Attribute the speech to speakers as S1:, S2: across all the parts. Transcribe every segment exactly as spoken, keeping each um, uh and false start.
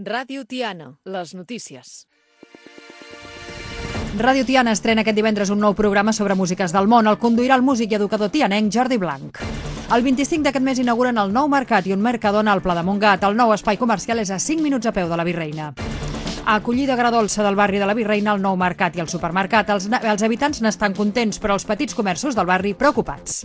S1: Ràdio Tiana, les notícies.
S2: Ràdio Tiana estrena aquest divendres un nou programa sobre músiques del món. El conduirà el músic i educador tianenc Jordi Blanc. El vint-i-cinc d'aquest mes inauguren el nou mercat i un Mercadona al Pla de Montgat. El nou espai comercial és a cinc minuts a peu de la Virreina. A acollida agradolça del barri de la Virreina, el nou mercat i el supermercat. Els, els habitants n'estan contents, però els petits comerços del barri preocupats.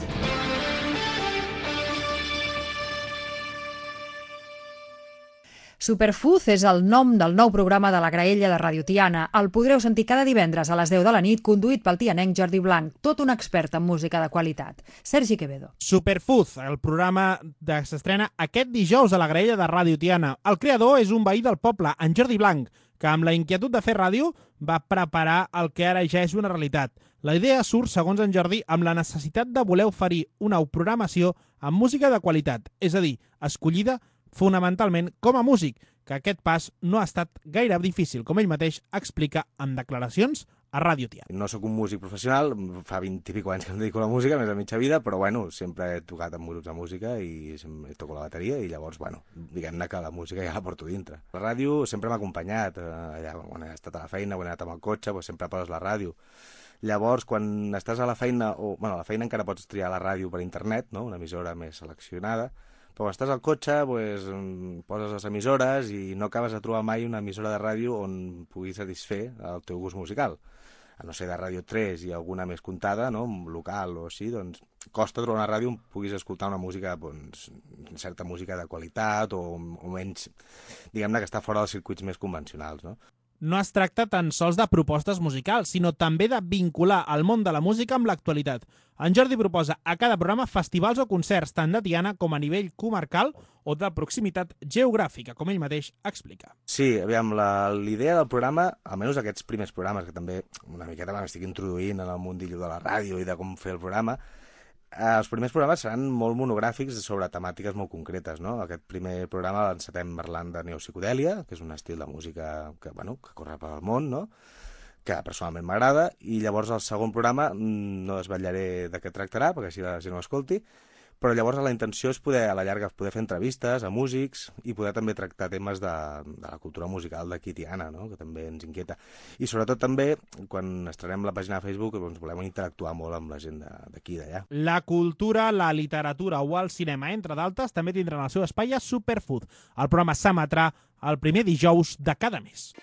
S2: Superfood és el nom del nou programa de la graella de Ràdio Tiana. El podreu sentir cada divendres a les deu de la nit, conduït pel tianenc Jordi Blanc, tot un expert en música de qualitat. Sergi Quevedo.
S3: Superfood, el programa de... s'estrena aquest dijous a la graella de Ràdio Tiana. El creador és un veí del poble, en Jordi Blanc, que amb la inquietud de fer ràdio va preparar el que ara ja és una realitat. La idea surt, segons en Jordi, amb la necessitat de voler oferir una programació amb música de qualitat, és a dir, escollida fonamentalment com a músic, que aquest pas no ha estat gaire difícil, com ell mateix explica en declaracions a Ràdio Tiana.
S4: No sóc un músic professional, fa vint i pico anys que em dedico a la música, més a mitja vida, però bueno, sempre he tocat amb grups de música i toco la bateria i llavors, bueno, diguem-ne que la música ja la porto dintre. La ràdio sempre m'ha acompanyat, allà quan he estat a la feina, quan he anat amb el cotxe, doncs sempre poses la ràdio. Llavors, quan estàs a la feina, o bueno, a la feina encara pots triar la ràdio per internet, no? Una emissora més seleccionada, però quan estàs al cotxe, pues, poses les emissores i no acabes de trobar mai una emissora de ràdio on puguis satisfer el teu gust musical. A no ser de Ràdio tres i alguna més comptada, no? Local o així, doncs costa trobar una ràdio on puguis escoltar una música, doncs, certa música de qualitat o, o menys, diguem-ne, que està fora dels circuits més convencionals, no?
S3: No es tracta tan sols de propostes musicals, sinó també de vincular el món de la música amb l'actualitat. En Jordi proposa a cada programa festivals o concerts, tant de Tiana com a nivell comarcal o de proximitat geogràfica, com ell mateix explica.
S4: Sí, aviam, l'idea del programa, almenys aquests primers programes, que també una miqueta m'estic introduint en el mundillo de la ràdio i de com fer el programa, els primers programes seran molt monogràfics sobre temàtiques molt concretes, no? Aquest primer programa l'encetem parlant de neopsicodèlia, que és un estil de música que, bueno, que corre pel món, no? Que personalment m'agrada, i llavors el segon programa no desvetllaré de què tractarà, perquè així la gent ho escolti, però llavors la intenció és poder, a la llarga, poder fer entrevistes a músics i poder també tractar temes de, de la cultura musical d'aquí Tiana, no? Que també ens inquieta. I sobretot també, quan estrenem la pàgina de Facebook, doncs volem interactuar molt amb la gent d'aquí i d'allà.
S3: La cultura, la literatura o el cinema, entre d'altres, també tindran el seu espai a Superfood. El programa s'emetrà el primer dijous de cada mes.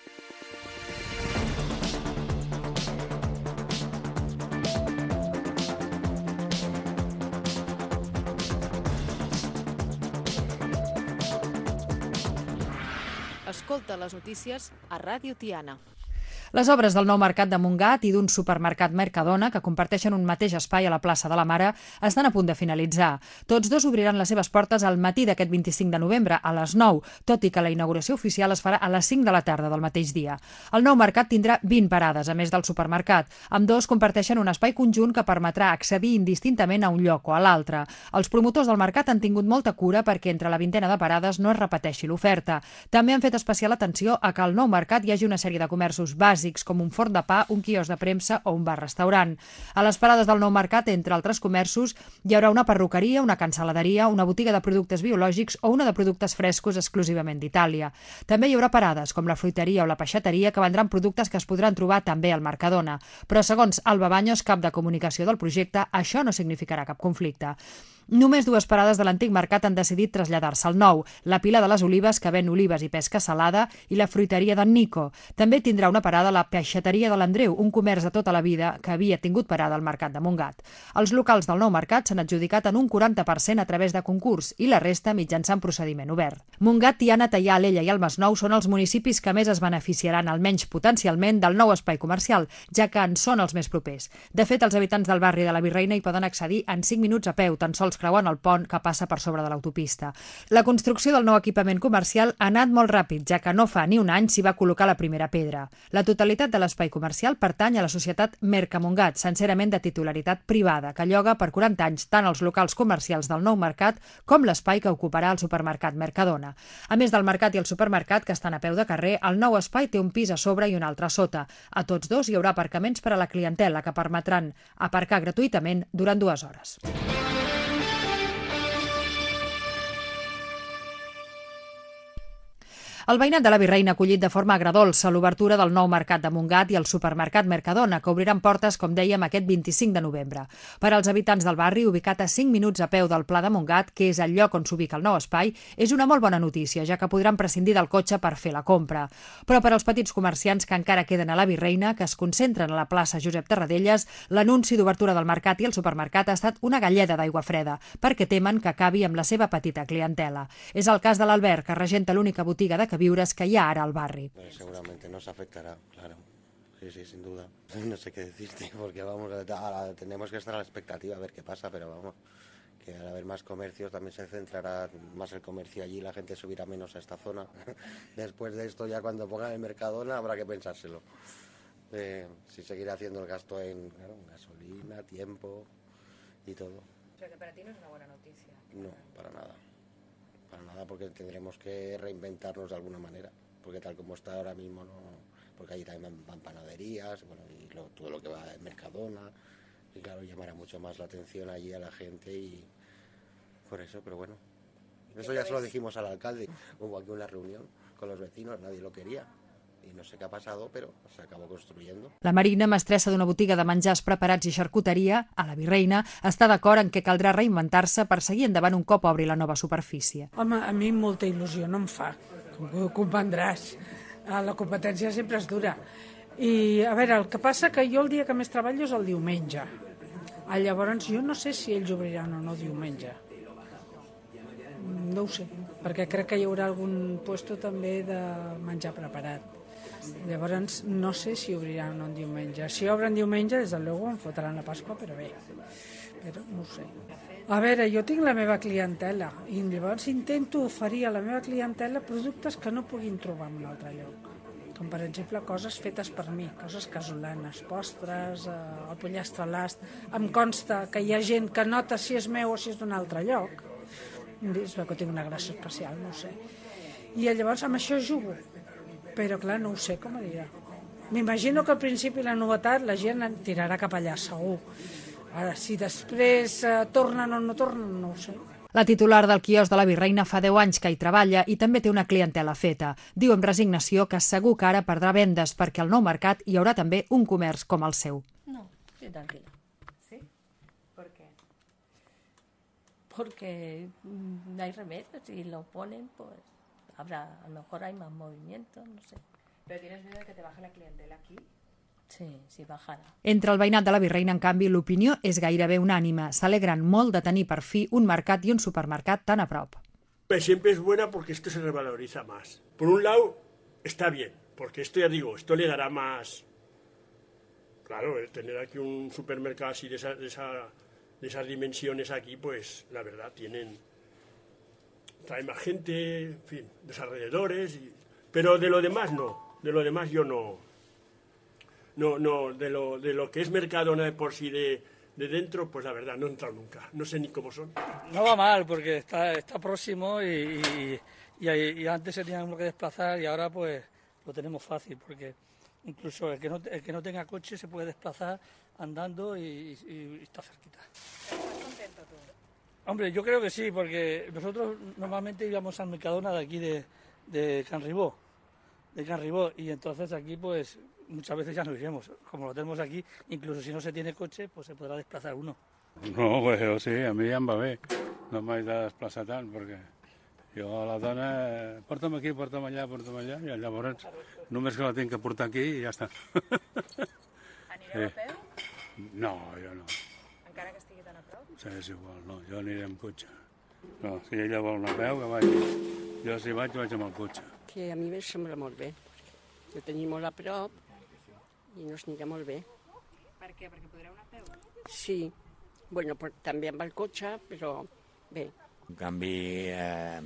S1: Escolta les notícies a Ràdio Tiana.
S2: Les obres del nou mercat de Montgat i d'un supermercat Mercadona, que comparteixen un mateix espai a la plaça de la Mare, estan a punt de finalitzar. Tots dos obriran les seves portes al matí d'aquest vint-i-cinc de novembre, a les nou, tot i que la inauguració oficial es farà a les cinc de la tarda del mateix dia. El nou mercat tindrà vint parades, a més del supermercat. Ambdós comparteixen un espai conjunt que permetrà accedir indistintament a un lloc o a l'altre. Els promotors del mercat han tingut molta cura perquè entre la vintena de parades no es repeteixi l'oferta. També han fet especial atenció a que al nou mercat hi hagi una sèrie de comerços bàsics com un forn de pa, un quiosc de premsa o un bar-restaurant. A les parades del nou mercat, entre altres comerços, hi haurà una perruqueria, una cancel·laderia, una botiga de productes biològics o una de productes frescos exclusivament d'Itàlia. També hi haurà parades, com la fruiteria o la peixateria, que vendran productes que es podran trobar també al Mercadona. Però, segons Alba Baños, cap de comunicació del projecte, això no significarà cap conflicte. Només dues parades de l'antic mercat han decidit traslladar-se al nou, la Pila de les Olives, que ven olives i pesca salada, i la fruiteria d'en Nico. També tindrà una parada la peixateria de l'Andreu, un comerç de tota la vida que havia tingut parada al mercat de Montgat. Els locals del nou mercat s'han adjudicat en un quaranta per cent a través de concurs i la resta mitjançant procediment obert. Montgat, Tiana, Teià, Alella i el Masnou són els municipis que més es beneficiaran, almenys potencialment, del nou espai comercial, ja que en són els més propers. De fet, els habitants del barri de la Virreina hi poden accedir en cinc minuts a peu, tan sols creuant el pont que passa per sobre de l'autopista. La construcció del nou equipament comercial ha anat molt ràpid, ja que no fa ni un any s'hi va col·locar la primera pedra. La totalitat de l'espai comercial pertany a la societat Mercamongat, sincerament de titularitat privada, que lloga per quaranta anys tant els locals comercials del nou mercat com l'espai que ocuparà el supermercat Mercadona. A més del mercat i el supermercat, que estan a peu de carrer, el nou espai té un pis a sobre i un altre a sota. A tots dos hi haurà aparcaments per a la clientela que permetran aparcar gratuïtament durant dues hores. El veïnat de la Virreina ha acollit de forma agredolça l'obertura del nou mercat de Montgat i el supermercat Mercadona, que obriran portes, com dèiem, aquest vint-i-cinc de novembre. Per als habitants del barri, ubicat a cinc minuts a peu del Pla de Montgat, que és el lloc on s'ubica el nou espai, és una molt bona notícia, ja que podran prescindir del cotxe per fer la compra. Però per als petits comerciants que encara queden a la Virreina, que es concentren a la plaça Josep Tarradellas, l'anunci d'obertura del mercat i el supermercat ha estat una galleda d'aigua freda, perquè temen que acabi amb la seva petita clientela. És el cas de l'Albert, que regenta l'única botiga de queviures que hi ha ara al barri.
S5: Pues seguramente nos afectará, claro. Sí, sí, sin duda. No sé qué decirte, porque vamos, ahora tenemos que estar a la expectativa a ver qué pasa, pero vamos, que al haber más comercios también se centrará más el comercio allí, la gente subirá menos a esta zona. Después de esto, ya cuando pongan el Mercadona, habrá que pensárselo. Eh, si seguir haciendo el gasto en, claro, en gasolina, tiempo y todo.
S2: O sea que para ti no es una buena noticia.
S5: No, para nada. Para nada, porque tendremos que reinventarnos de alguna manera, porque tal como está ahora mismo, no, porque allí también van, van panaderías, bueno, y lo, todo lo que va en Mercadona, y claro, llamará mucho más la atención allí a la gente y por eso, pero bueno, eso ya se lo dijimos al alcalde, hubo aquí una reunión con los vecinos, nadie lo quería. I no sé què ha passat, però s'acaba construint.
S2: La Marina, mestressa d'una botiga de menjars preparats i xarcuteria, a la Virreina, està d'acord en què caldrà reinventar-se per seguir endavant un cop obri la nova superfície.
S6: Home, a mi molta il·lusió no em fa, com comprendràs. La competència sempre és dura. I, a veure, el que passa que jo el dia que més treballo és el diumenge. Llavors, jo no sé si ells obriran o no diumenge. No ho sé, perquè crec que hi haurà algun puesto també de menjar preparat. Llavors, no sé si obriran un diumenge. Si obren diumenge, des de luego em fotran la Pasqua, però bé, però no ho sé. A veure, jo tinc la meva clientela i llavors intento oferir a la meva clientela productes que no puguin trobar en un altre lloc. Com, per exemple, coses fetes per mi, coses casolanes, postres, eh, el pollastre a l'ast. Em consta que hi ha gent que nota si és meu o si és d'un altre lloc. És que tinc una gràcia especial, no ho sé. I llavors amb això jugo. Però clar, no ho sé com anirà. M'imagino que al principi la novetat la gent tirarà cap allà, segur. Ara, si després eh, tornen o no tornen, no ho sé.
S2: La titular del quiosc de la Virreina fa deu anys que hi treballa i també té una clientela feta. Diu amb resignació que segur que ara perdrà vendes perquè al nou mercat hi haurà també un comerç com el seu.
S7: No, estoy tranquila.
S2: ¿Sí? ¿Por qué?
S7: Porque no hay remedio, si lo ponen, pues habrá, a lo mejor hay más movimiento, no sé.
S2: ¿Pero tienes miedo de que te baje la clientela aquí?
S7: Sí, si bajara.
S2: Entre el veïnat de la Virreina, en canvi, l'opinió és gairebé unànime. S'alegren molt de tenir per fi un mercat i un supermercat tan a prop.
S8: Siempre es buena porque esto se revaloriza más. Por un lado, está bien, porque esto ya digo, esto le dará más... Claro, el tener aquí un supermercado así de, esa, de, esa, de esas dimensiones aquí, pues la verdad, tienen... Trae más gente, en fin, los alrededores, y... pero de lo demás no, de lo demás yo no... No, no, de lo, de lo que es Mercadona de por sí de, de dentro, pues la verdad no he entrado nunca, no sé ni cómo son.
S9: No va mal porque está, está próximo y, y, y antes se teníamos que desplazar y ahora pues lo tenemos fácil porque incluso el que no, el que no tenga coche se puede desplazar andando y, y, y está cerquita.
S2: ¿Estás contento tú?
S9: Hombre, yo creo que sí, porque nosotros normalmente íbamos al Mercadona de aquí de, de Can Ribó, de Can Ribó, y entonces aquí pues muchas veces ya nos iremos. Como lo tenemos aquí, incluso si no se tiene coche, pues se podrà desplaçar uno.
S10: No, pues o sigui, a mi ja em va bé. No m'haig de desplaçar tant, perquè jo a la dona, eh, porta'm aquí, porta'm allà, porta'm allà, i llavors només que la tinc que portar aquí i ja està.
S2: Anireu a peu?
S10: No, jo no.
S2: Encara que estigui tan a prop?
S10: Sí, és igual, no, jo aniré amb cotxe. No, si ella vol anar a peu, que vagi. Jo si vaig, vaig amb el cotxe.
S11: Que a mi em sembla molt bé. Jo tenim molt a prop i no es anirà molt bé.
S2: Per què? Perquè podreu anar a peu?
S11: Sí. Bueno, però també amb el cotxe, però bé.
S12: En canvi, eh,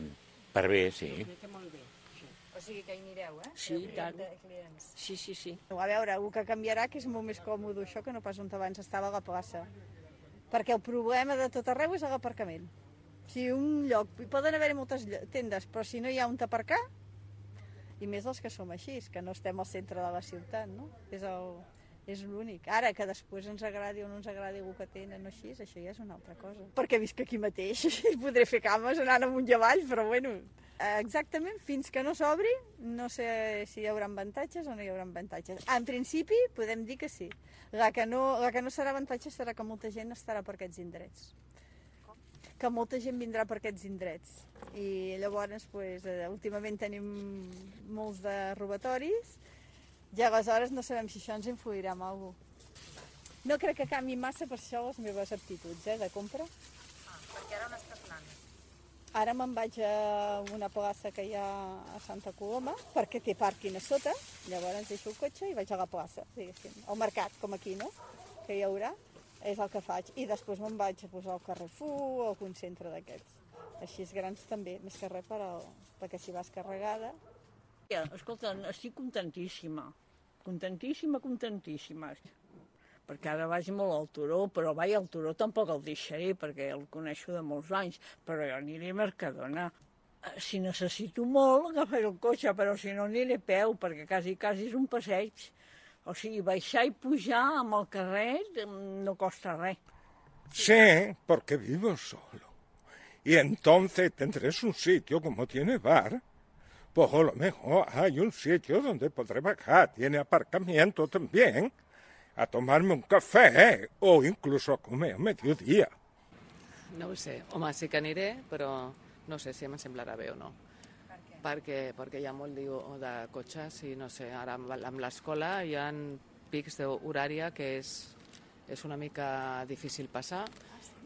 S12: per bé, sí.
S11: Que molt bé. Sí.
S2: O sigui que hi anireu, eh?
S11: Sí, i tant. Sí, sí, sí.
S13: A veure, el que canviarà que és molt més còmode això que no pas on abans estava a la plaça. Perquè el problema de tot arreu és l'aparcament. Si un lloc, poden haver-hi moltes tendes, però si no hi ha on aparcar, i més els que som així, que no estem al centre de la ciutat, no? És el... és l'únic. Ara, que després ens agradi o no ens agradi el que tenen o així, això ja és una altra cosa. Perquè visc aquí mateix i podré fer cames anant amunt i avall, però bueno, exactament, fins que no s'obri, no sé si hi haurà avantatges o no hi haurà avantatges. En principi, podem dir que sí. La que no, la que no serà avantatge serà que molta gent estarà per aquests indrets. Que molta gent vindrà per aquests indrets. I llavors, pues, últimament tenim molts de robatoris i aleshores no sabem si això ens influirà en alguna cosa. No crec que canvi massa per això les meves aptituds, eh, de compra.
S2: Ah, perquè ara on estàs anant?
S13: Ara me'n vaig a una plaça que hi ha a Santa Coloma, perquè té pàrquing a sota, llavors deixo el cotxe i vaig a la plaça, diguéssim. Al mercat, com aquí, no?, que hi haurà, és el que faig. I després me'n vaig a posar al Carrefour o algun centre d'aquests. Així grans també, més que res per al... perquè si vas carregada...
S14: Escolta, estic contentíssima, contentíssima, contentíssima. Perquè ara vaig molt al Turó, però vaig al Turó tampoc el deixaré, perquè el coneixo de molts anys, però jo aniré a Mercadona. Si necessito molt, agafaré el cotxe, però si no aniré a peu, perquè quasi, quasi és un passeig. O sigui, baixar i pujar amb el carrer no costa res.
S15: Sí, porque vivo solo. Y entonces tendrás un sitio como tiene bar. Pues a lo mejor hay un sitio donde podré bajar. Tiene aparcamiento también. A tomarme un cafè o inclús a comer a mediodía.
S16: No ho sé. Home, sí que aniré, però no sé si em semblarà bé o no. Per què? Perquè, perquè hi ha molt de cotxes i no sé, ara amb l'escola hi ha pics d'horària que és, és una mica difícil passar.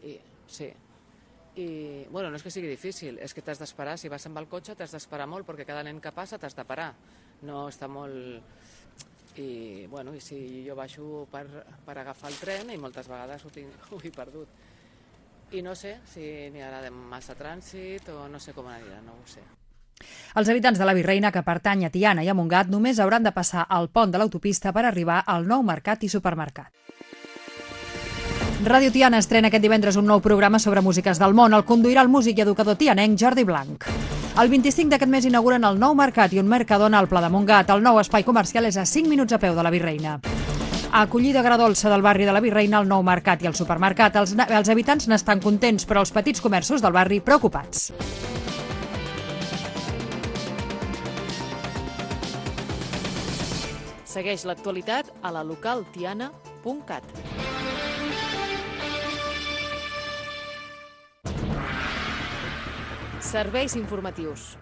S16: I, sí. I, bueno, no és que sigui difícil, és que t'has d'esperar. Si vas amb el cotxe t'has d'esperar molt perquè cada nen que passa t'has de parar. No està molt... I, bueno, i si jo baixo per, per agafar el tren i moltes vegades ho, tinc, ho he perdut. I no sé si n'hi haurà massa trànsit o no sé com anirà, no ho sé.
S2: Els habitants de la Virreina que pertany a Tiana i a Montgat només hauran de passar al pont de l'autopista per arribar al nou mercat i supermercat. Ràdio Tiana estrena aquest divendres un nou programa sobre músiques del món. El conduirà el músic i educador tianenc Jordi Blanc. El vint-i-cinc d'aquest mes inauguren el nou mercat i un Mercadona al Pla de Montgat. El nou espai comercial és a cinc minuts a peu de la Virreina. A acollida agradolça del barri de la Virreina, el nou mercat i el supermercat. Els, els habitants n'estan contents, però els petits comerços del barri preocupats.
S1: Segueix l'actualitat a la local tiana punt cat. Serveis informatius.